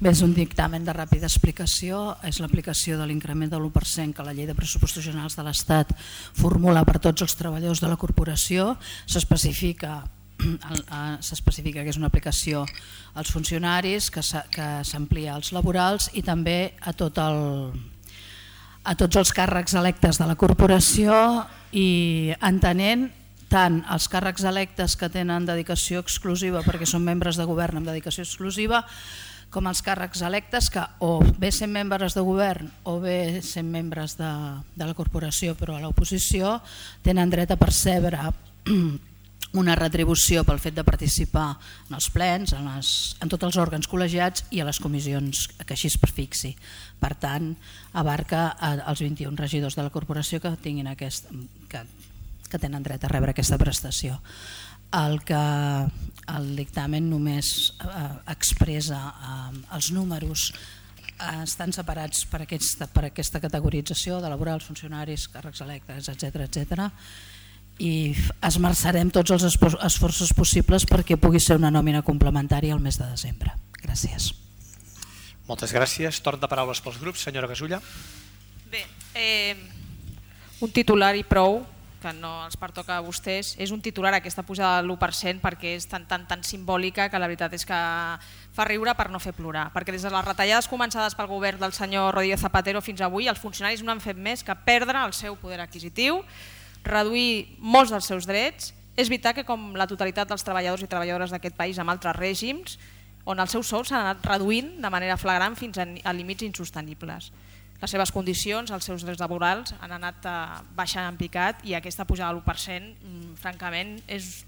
Bé, és un dictamen de ràpida explicació, és l'aplicació de l'increment de l'1% que la Llei de Pressupostos Generals de l'Estat formula per tots els treballadors de la corporació. S'especifica que és una aplicació als funcionaris, que s'amplia als laborals i també a tots els càrrecs electes de la corporació, i entenent tant els càrrecs electes que tenen dedicació exclusiva perquè són membres de govern amb dedicació exclusiva, com els càrrecs electes que o bé sent membres de govern o bé sent membres de la corporació però a l'oposició tenen dret a percebre una retribució pel fet de participar en els plens, en tots els òrgans col·legiats i a les comissions que així es fixi. Per tant, abarca els 21 regidors de la corporació que tenen dret a rebre aquesta prestació. El dictamen només expressa els números, estan separats per aquesta categorització de laborals, funcionaris, càrrecs electes, etc. I esmerçarem tots els esforços possibles perquè pugui ser una nòmina complementària al mes de desembre. Gràcies. Moltes gràcies. Torn de paraules pels grups. Senyora Gasulla. Bé, un titular i prou, que no els pertoca a vostès. És un titular aquesta pujada de l'1% perquè és tan simbòlica que la veritat és que fa riure per no fer plorar. Perquè des de les retallades començades pel govern del senyor Rodríguez Zapatero fins avui, els funcionaris no han fet més que perdre el seu poder adquisitiu, reduir molts dels seus drets. És veritat que com la totalitat dels treballadors i treballadores d'aquest país amb altres règims, on els seus sous s'han anat reduint de manera flagrant fins a límits insostenibles. Les seves condicions, els seus drets laborals han anat baixant en picat i aquesta pujada de l'1%, francament, és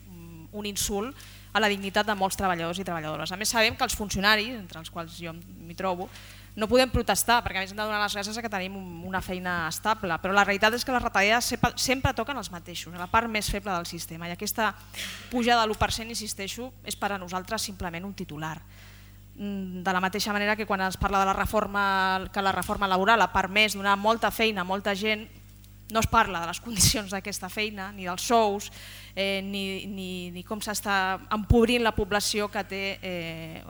un insult a la dignitat de molts treballadors i treballadores. A més, sabem que els funcionaris, entre els quals jo m'hi trobo, no podem protestar perquè a més hem de donar les gràcies que tenim una feina estable, però la realitat és que les retallades sempre toquen els mateixos, a la part més feble del sistema, i aquesta pujada de l'1%, insisteixo, és per a nosaltres simplement un titular. De la mateixa manera que quan es parla de la reforma laboral ha permès donar molta feina a molta gent, no es parla de les condicions d'aquesta feina, ni dels sous, ni com s'està empobrint la població que té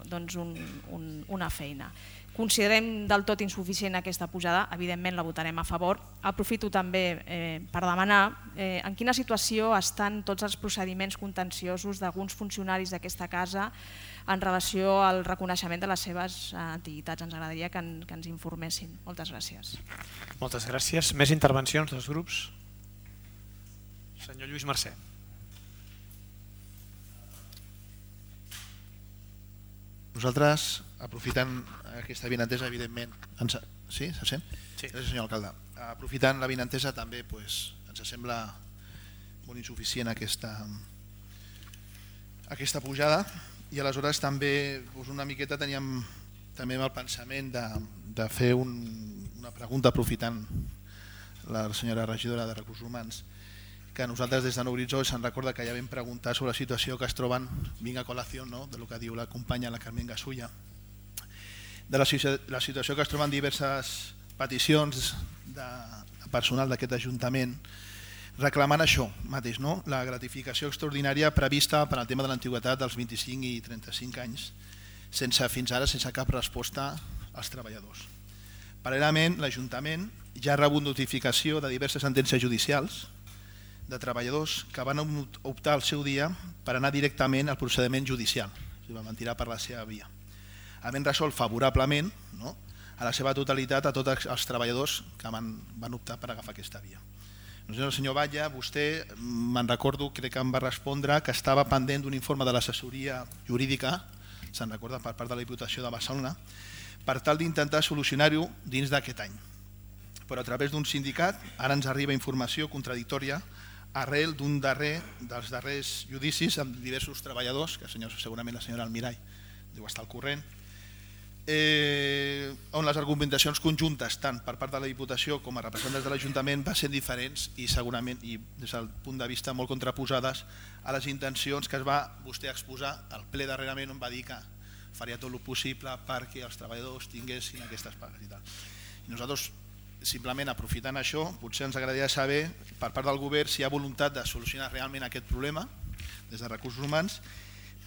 una feina. Considerem del tot insuficient aquesta pujada, evidentment la votarem a favor. Aprofito també per demanar en quina situació estan tots els procediments contenciosos d'alguns funcionaris d'aquesta casa en relació al reconeixement de les seves antiguitats. Ens agradaria que ens informessin. Moltes gràcies. Moltes gràcies. Més intervencions dels grups? Senyor Lluís Mercè. Nosaltres, aprofitant aquesta avinentesa, evidentment... Sí, se sent? Sí. Gràcies, senyor alcalde. Aprofitant l'avinentesa també ens sembla molt insuficient aquesta pujada, i aleshores també una miqueta teníem també el pensament de fer una pregunta aprofitant la senyora regidora de Recursos Humans, que nosaltres des de Nou Horitzó se'n recorda que ja vam preguntar sobre la situació que es troben, vinc a col·lació de lo que diu la companya la Carmen Gasulla, de la situació que es troben diverses peticions de personal d'aquest Ajuntament reclamant això mateix, la gratificació extraordinària prevista per al tema de l'antiguitat dels 25 i 35 anys, fins ara sense cap resposta als treballadors. Paral·lelament, l'Ajuntament ja ha rebut notificació de diverses sentències judicials de treballadors que van optar al seu dia per anar directament al procediment judicial, van tirar per la seva via, havent resolt favorablement a la seva totalitat a tots els treballadors que van optar per agafar aquesta via. El senyor Batlle, vostè, me'n recordo, crec que em va respondre que estava pendent d'un informe de l'assessoria jurídica, se'n recorda, per part de la Diputació de Barcelona, per tal d'intentar solucionar-ho dins d'aquest any. Però a través d'un sindicat ara ens arriba informació contradictòria arrel dels darrers judicis amb diversos treballadors, que segurament la senyora Almirall deu estar al corrent, on les argumentacions conjuntes tant per part de la Diputació com a representants de l'Ajuntament van ser diferents i segurament, i des del punt de vista molt contraposades a les intencions que es va vostè exposar al ple darrerament, on va dir que faria tot el possible perquè els treballadors tinguessin aquestes pagues i tal. I nosaltres, simplement aprofitant això, potser ens agradaria saber per part del govern si hi ha voluntat de solucionar realment aquest problema des de Recursos Humans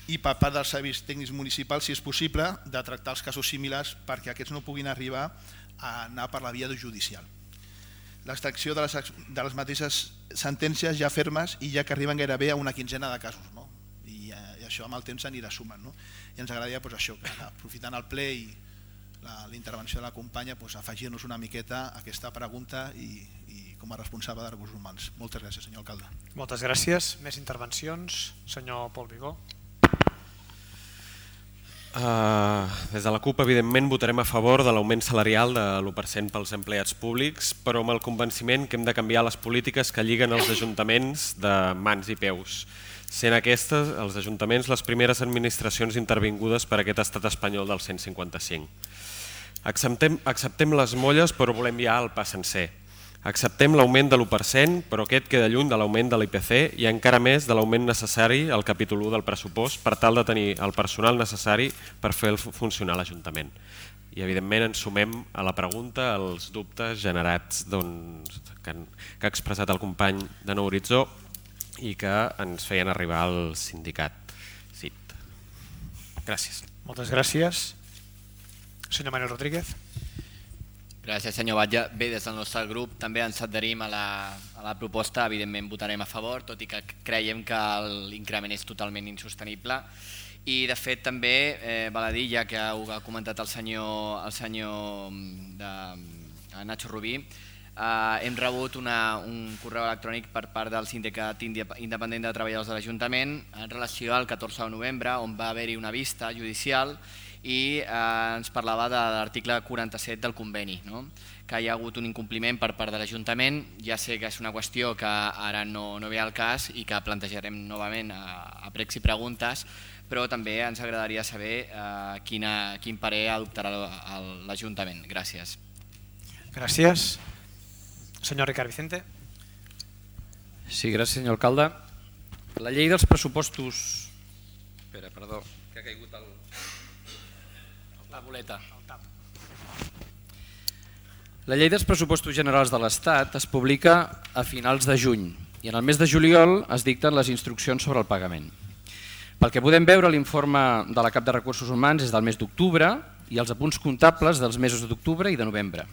i per part dels serveis tècnics municipals, si és possible, de tractar els casos similars perquè aquests no puguin arribar a anar per la via judicial. L'extracció de les mateixes sentències ja fermes i ja que arriben gairebé a una quinzena de casos, no? I això amb el temps s'anirà sumant, no? I ens agradaria això, que aprofitant el ple i la intervenció de la companya, afegir-nos una miqueta a aquesta pregunta i com a responsable de recursos humans. Moltes gràcies, senyor alcalde. Moltes gràcies. Més intervencions? Senyor Pol Vigó. Des de la CUP, evidentment, votarem a favor de l'augment salarial de l'1% pels empleats públics, però amb el convenciment que hem de canviar les polítiques que lliguen els ajuntaments de mans i peus, sent aquestes, els ajuntaments, les primeres administracions intervingudes per aquest estat espanyol del 155. Acceptem les molles, però volem ja el pa sencer. Acceptem l'augment de l'1%, però aquest queda lluny de l'augment de l'IPC i encara més de l'augment necessari al capítol 1 del pressupost per tal de tenir el personal necessari per fer funcionar l'Ajuntament. I evidentment ens sumem a la pregunta, als dubtes generats que ha expressat el company de Nou Horitzó i que ens feien arribar al sindicat CIT. Gràcies. Moltes gràcies. Senyor Manuel Rodríguez. Gràcies, senyor Batlle. Bé, des del nostre grup també ens adherim a la proposta, evidentment votarem a favor, tot i que creiem que l'increment és totalment insostenible. I de fet també val a dir, ja que ho ha comentat el senyor Nacho Rubí, hem rebut un correu electrònic per part del Sindicat Independent de Treballadors de l'Ajuntament en relació al 14 de novembre, on va haver-hi una vista judicial i ens parlava de l'article 47 del conveni, que hi ha hagut un incompliment per part de l'Ajuntament. Ja sé que és una qüestió que ara no ve al cas i que plantejarem novament a pregs i preguntes, però també ens agradaria saber quin parer adoptarà l'Ajuntament. Gràcies. Gràcies. Senyor Ricard Vicente. Sí, gràcies, senyor alcalde. La llei dels pressupostos... Espera, perdó, que ha caigut la boleta. La llei dels pressupostos generals de l'Estat es publica a finals de juny i en el mes de juliol es dicten les instruccions sobre el pagament. Pel que podem veure, l'informe de la Cap de Recursos Humans és del mes d'octubre i els apunts comptables dels mesos d'octubre i de novembre.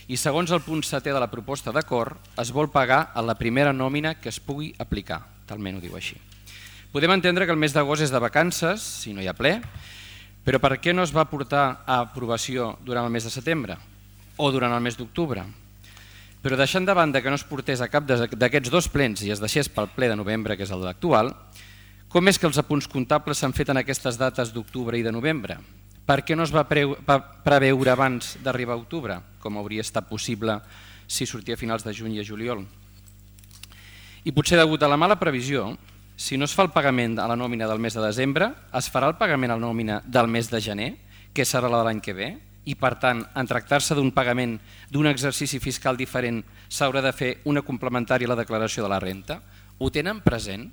I segons el punt 7è de la proposta d'acord, es vol pagar a la primera nòmina que es pugui aplicar, talment ho diu així. Podem entendre que el mes d'agost és de vacances, si no hi ha ple, però per què no es va portar a aprovació durant el mes de setembre o durant el mes d'octubre? Però deixant de banda que no es portés a cap d'aquests dos plens i es deixés pel ple de novembre, que és el actual, com és que els apunts comptables s'han fet en aquestes dates d'octubre i de novembre? Per què no es va preveure abans d'arribar a octubre, com hauria estat possible si sortia a finals de juny i a juliol? I potser degut a la mala previsió, si no es fa el pagament a la nòmina del mes de desembre, es farà el pagament a la nòmina del mes de gener, que serà la de l'any que ve, i per tant, en tractar-se d'un pagament d'un exercici fiscal diferent, s'haurà de fer una complementària a la declaració de la renta. Ho tenen present?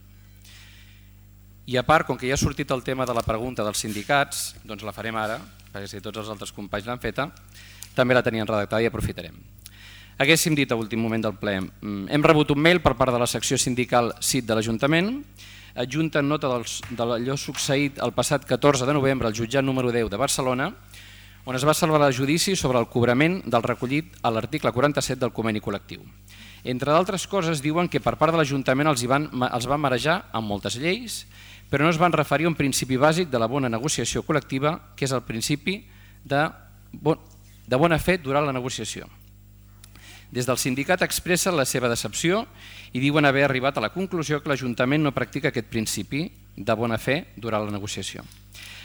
I a part, com que ja ha sortit el tema de la pregunta dels sindicats, doncs la farem ara, perquè si tots els altres companys l'han feta, també la tenien redactada i aprofitarem. Haguéssim dit a últim moment del ple, hem rebut un mail per part de la secció sindical CIT de l'Ajuntament, adjunten nota d'allò succeït el passat 14 de novembre al jutjat número 10 de Barcelona, on es va celebrar el judici sobre el cobrament del recollit a l'article 47 del conveni col·lectiu. Entre d'altres coses, diuen que per part de l'Ajuntament els van marejar amb moltes lleis, però no es van referir a un principi bàsic de la bona negociació col·lectiva, que és el principi de bona fe durant la negociació. Des del sindicat expressen la seva decepció i diuen haver arribat a la conclusió que l'Ajuntament no practica aquest principi de bona fe durant la negociació.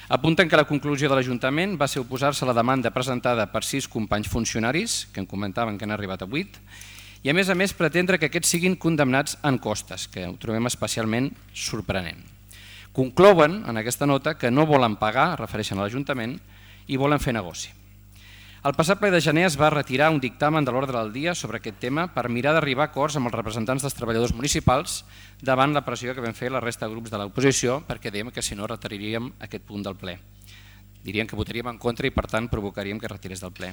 Apunten que la conclusió de l'Ajuntament va ser oposar-se a la demanda presentada per 6 companys funcionaris, que en comentaven que han arribat a 8, i a més pretendre que aquests siguin condemnats en costes, que ho trobem especialment sorprenent. Conclouen en aquesta nota que no volen pagar, refereixen a l'Ajuntament, i volen fer negoci. Al passat ple de gener es va retirar un dictamen de l'ordre del dia sobre aquest tema per mirar d'arribar a acords amb els representants dels treballadors municipals davant la pressió que vam fer la resta de grups de l'oposició, perquè dèiem que si no retiraríem aquest punt del ple. Dirien que votaríem en contra i per tant provocaríem que retirés del ple.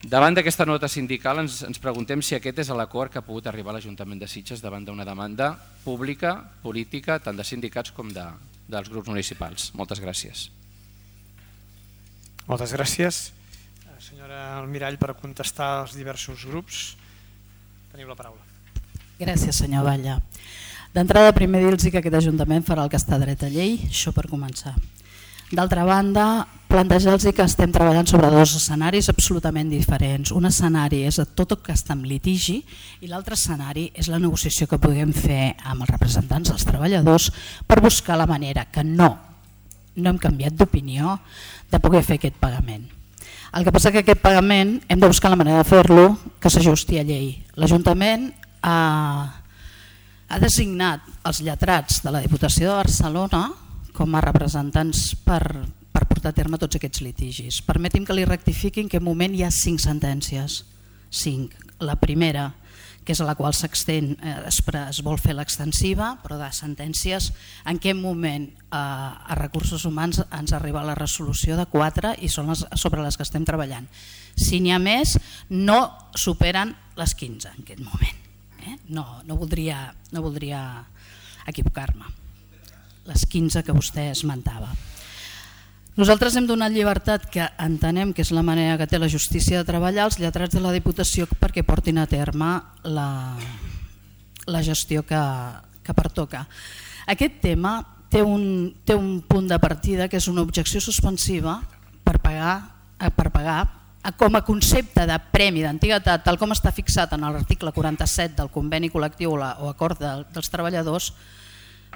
Davant d'aquesta nota sindical ens preguntem si aquest és l'acord que ha pogut arribar a l'Ajuntament de Sitges davant d'una demanda pública, política, tant de sindicats com dels grups municipals. Moltes gràcies. Moltes gràcies. Senyora Almirall, per contestar als diversos grups, teniu la paraula. Gràcies, senyor Batlle. D'entrada, primer dir-los que aquest Ajuntament farà el que està dret a llei, això per començar. D'altra banda, plantejar-los que estem treballant sobre dos escenaris absolutament diferents. Un escenari és tot el que està en litigi i l'altre escenari és la negociació que puguem fer amb els representants dels treballadors per buscar la manera que no hem canviat d'opinió de poder fer aquest pagament. El que passa que aquest pagament hem de buscar la manera de fer-lo que s'ajusti a llei. L'Ajuntament ha designat els lletrats de la Diputació de Barcelona com a representants per portar a terme tots aquests litigis. Permeti'm que li rectifiqui en què moment hi ha 5 sentències. 5. La primera, que és a la qual s'extén, es vol fer l'extensiva, però de sentències, en què moment a Recursos Humans ens arriba la resolució de 4 i són sobre les que estem treballant. Si n'hi ha més, no superen les 15 en aquest moment. No voldria equivocar-me. Les 15 que vostè esmentava. Nosaltres hem donat llibertat, que entenem que és la manera que té la justícia de treballar, als lletrats de la Diputació perquè portin a terme la gestió que pertoca. Aquest tema té un punt de partida que és una objecció suspensiva per pagar com a concepte de premi d'antiguitat, tal com està fixat en l'article 47 del conveni col·lectiu o acord dels treballadors,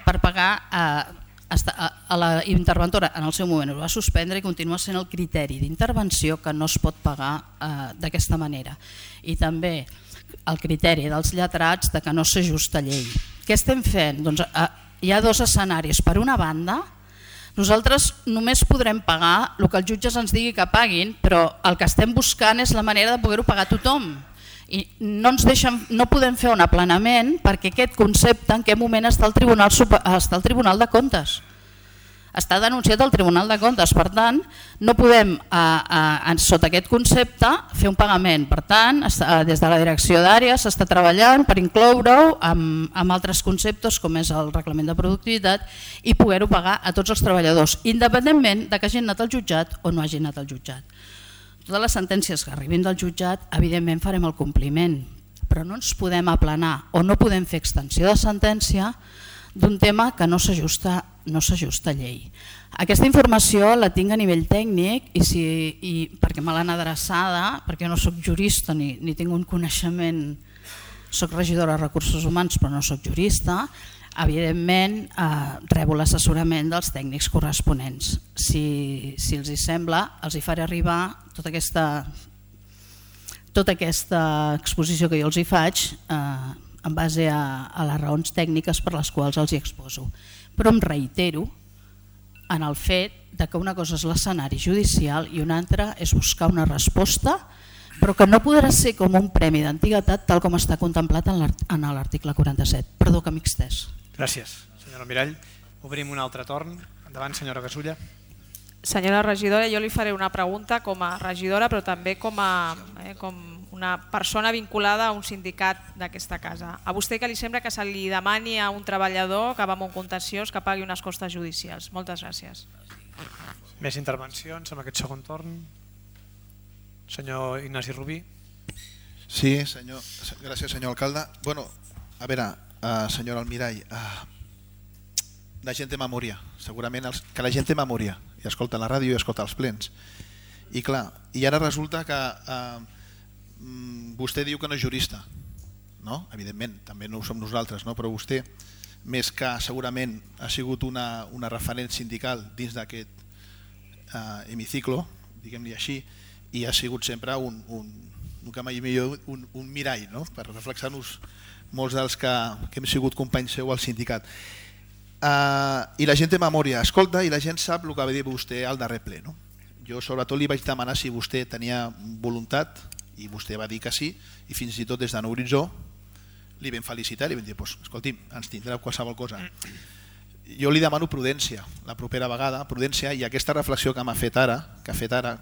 per pagar a la interventora. En el seu moment ho va suspendre i continua sent el criteri d'intervenció que no es pot pagar d'aquesta manera. I també el criteri dels lletrats de que no s'ajusta a llei. Què estem fent? Doncs hi ha 2 escenaris. Per una banda, nosaltres només podrem pagar el que els jutges ens digui que paguin, però el que estem buscant és la manera de poder-ho pagar a tothom. I no podem fer un aplanament perquè aquest concepte en què moment està el Tribunal de Comptes. Està denunciat al Tribunal de Comptes, per tant no podem sota aquest concepte fer un pagament. Per tant, des de la direcció d'àrea s'està treballant per incloure-ho amb altres conceptes com és el reglament de productivitat i poder-ho pagar a tots els treballadors, independentment de que hagin anat al jutjat o no hagin anat al jutjat. Totes les sentències que arribin del jutjat, evidentment farem el compliment, però no ens podem aplanar o no podem fer extensió de sentència d'un tema que no s'ajusta a llei. Aquesta informació la tinc a nivell tècnic i perquè me l'han adreçada, perquè no soc jurista ni tinc un coneixement, soc regidora de Recursos Humans però no soc jurista, evidentment rebo l'assessorament dels tècnics corresponents. Si els hi sembla, els hi faré arribar tota aquesta exposició que jo els hi faig en base a les raons tècniques per les quals els hi exposo. Però em reitero en el fet que una cosa és l'escenari judicial i una altra és buscar una resposta, però que no podrà ser com un premi d'antiguitat tal com està contemplat en l'article 47. Perdó que m'he estès. Gràcies, senyora Almirall. Obrim un altre torn. Endavant, senyora Gasulla. Senyora regidora, jo li faré una pregunta com a regidora, però també com una persona vinculada a un sindicat d'aquesta casa. A vostè que li sembla que se li demani a un treballador que va amb un contenciós que pagui unes costes judicials? Moltes gràcies. Més intervencions en aquest segon torn. Senyor Ignasi Rubí. Sí, gràcies, senyor alcalde. Bueno, a veure, senyora Almirall, la gent té memòria, segurament que la gent té memòria i escolta la ràdio i escolta els plens. I clar, i ara resulta que vostè diu que no és jurista, no? Evidentment, també no ho som nosaltres, no? Però vostè, més que segurament ha sigut una referent sindical dins d'aquest hemiciclo, diguem-li així, i ha sigut sempre un mirall, no? Per reflexar-nos molts dels que hem sigut companys seu al sindicat. I la gent té memòria, escolta, i la gent sap el que va dir vostè al darrer ple, no? Jo sobretot li vaig demanar si vostè tenia voluntat i vostè va dir que sí, i fins i tot des de Nou Horitzó li vam felicitar i li vam dir, escolti'm, ens tindrà qualsevol cosa. Jo li demano prudència la propera vegada, prudència, i aquesta reflexió que m'ha fet ara,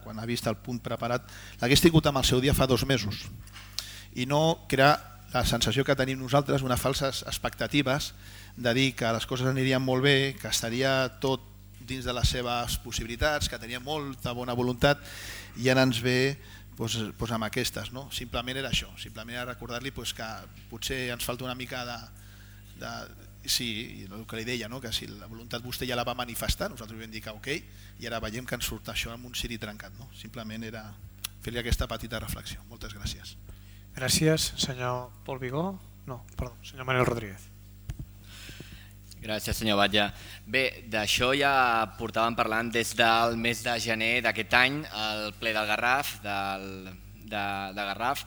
quan ha vist el punt preparat, l'hagués tingut amb el seu dia fa 2 mesos, i no crear la sensació que tenim nosaltres, unes falses expectatives de dir que les coses anirien molt bé, que estaria tot dins de les seves possibilitats, que tenia molta bona voluntat, i ara ens ve amb aquestes. Simplement era això, simplement era recordar-li que potser ens falta una mica de sí, el que li deia, que si la voluntat vostè ja la va manifestar, nosaltres vam dir que ok, i ara veiem que ens surt això amb un ciri trencat. Simplement era fer-li aquesta petita reflexió. Moltes gràcies. Gràcies, senyor Pol Vigó. No, perdó, senyor Manuel Rodríguez. Gràcies, senyor Batlle. Bé, d'això ja portàvem parlant des del mes de gener d'aquest any, al ple del Garraf, de Garraf,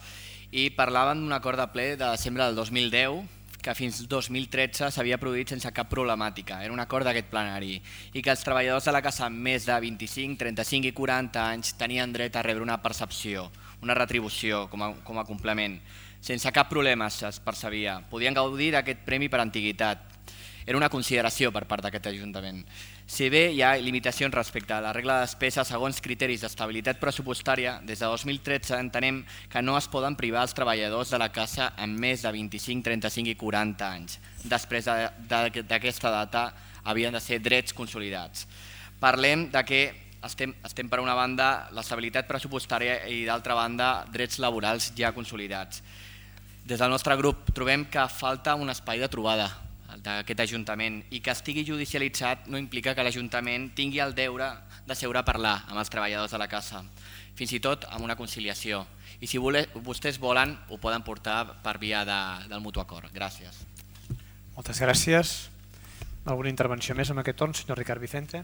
i parlàvem d'un acord de ple de desembre del 2010 que fins al 2013 s'havia produït sense cap problemàtica. Era un acord d'aquest plenari i que els treballadors de la casa amb més de 25, 35 i 40 anys tenien dret a rebre una percepció, una retribució com a complement. Sense cap problema es percebia. Podien gaudir d'aquest premi per antiguitat. Era una consideració per part d'aquest Ajuntament. Si bé hi ha limitacions respecte a la regla de despesa segons criteris d'estabilitat pressupostària, des de 2013 entenem que no es poden privar els treballadors de la casa amb més de 25, 35 i 40 anys. Després d'aquesta data havien de ser drets consolidats. Parlem de que estem per una banda l'estabilitat pressupostària i d'altra banda drets laborals ja consolidats. Des del nostre grup trobem que falta un espai de trobada d'aquest Ajuntament i que estigui judicialitzat no implica que l'Ajuntament tingui el deure de seure a parlar amb els treballadors de la casa, fins i tot amb una conciliació. I si vostès volen, ho poden portar per via del mutu acord. Gràcies. Moltes gràcies. Alguna intervenció més en aquest torn, senyor Ricard Vicente?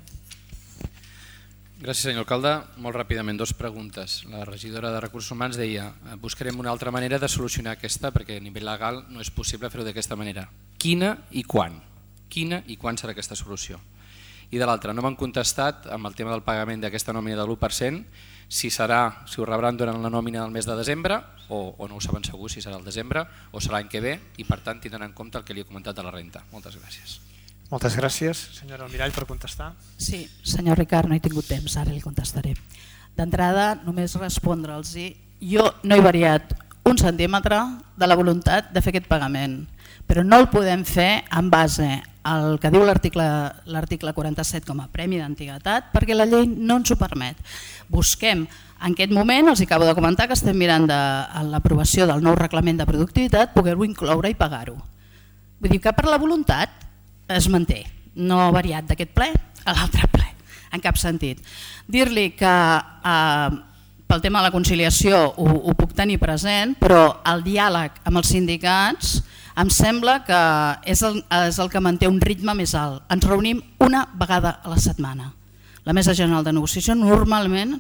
Gràcies, senyor alcalde. Molt ràpidament, dues preguntes. La regidora de Recursos Humans deia buscarem una altra manera de solucionar aquesta perquè a nivell legal no és possible fer-ho d'aquesta manera. Quina i quan? Quina i quan serà aquesta solució? I de l'altra, no m'han contestat amb el tema del pagament d'aquesta nòmina de l'1%, si ho rebran durant la nòmina del mes de desembre o no ho saben segur si serà el desembre o serà l'any que ve i per tant tindran en compte el que li he comentat de la renta. Moltes gràcies. Moltes gràcies. Senyora Almirall, per contestar. Sí, senyor Ricard, no he tingut temps, ara li contestaré. D'entrada, només respondre'ls. Jo no he variat un centímetre de la voluntat de fer aquest pagament, però no el podem fer en base al que diu l'article 47 com a premi d'antiguitat perquè la llei no ens ho permet. Busquem, en aquest moment, els acabo de comentar que estem mirant l'aprovació del nou reglament de productivitat, poder-ho incloure i pagar-ho. Vull dir que per la voluntat es manté, no ha variat d'aquest ple a l'altre ple, en cap sentit. Dir-li que pel tema de la conciliació ho puc tenir present, però el diàleg amb els sindicats em sembla que és el que manté un ritme més alt. Ens reunim una vegada a la setmana. La Mesa General de Negociació normalment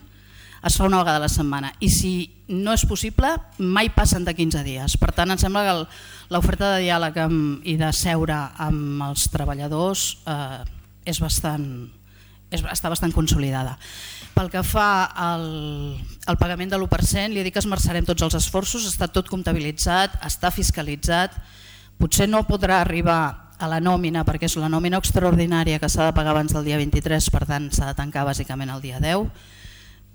es fa una vegada a la setmana i si no és possible mai passen de 15 dies. Per tant, em sembla que l'oferta de diàleg i de seure amb els treballadors està bastant consolidada. Pel que fa al pagament de l'1%, li dic que esmerçarem tots els esforços, està tot comptabilitzat, està fiscalitzat, potser no podrà arribar a la nòmina perquè és la nòmina extraordinària que s'ha de pagar abans del dia 23, per tant s'ha de tancar bàsicament el dia 10,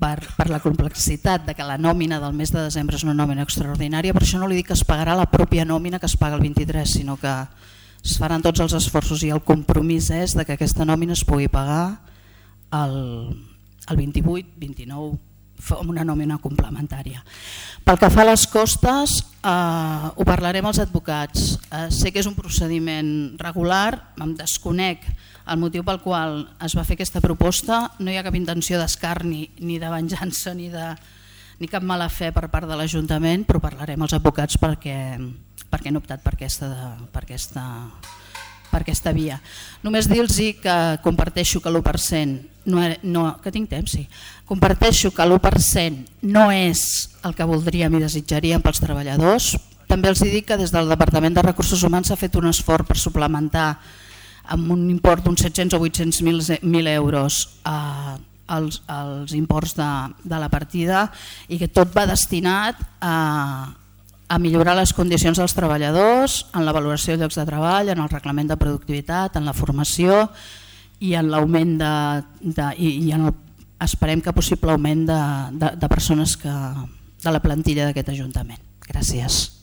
per la complexitat de que la nòmina del mes de desembre és una nòmina extraordinària, per això no li dic que es pagarà la pròpia nòmina que es paga el 23, sinó que es faran tots els esforços i el compromís és de que aquesta nòmina es pugui pagar el 28, 29, amb una nòmina complementària. Pel que fa a les costes, ho parlarem als advocats. Sé que és un procediment regular, em desconec el motiu pel qual es va fer aquesta proposta, no hi ha cap intenció d'escarni ni de venjança ni cap mala fe per part de l'Ajuntament, però parlarem als advocats perquè han optat per aquesta via. Només dir-los que comparteixo que l'1%, que tinc temps, sí, comparteixo que l'1% no és el que voldríem i desitjaríem pels treballadors. També els dic que des del Departament de Recursos Humans s'ha fet un esforç per suplementar amb un import d'uns 700 o 800.000 euros als imports de la partida i que tot va destinat a millorar les condicions dels treballadors, en la valoració de llocs de treball, en el reglament de productivitat, en la formació i en l'augment esperem que possible augment de persones de la plantilla d'aquest Ajuntament. Gràcies.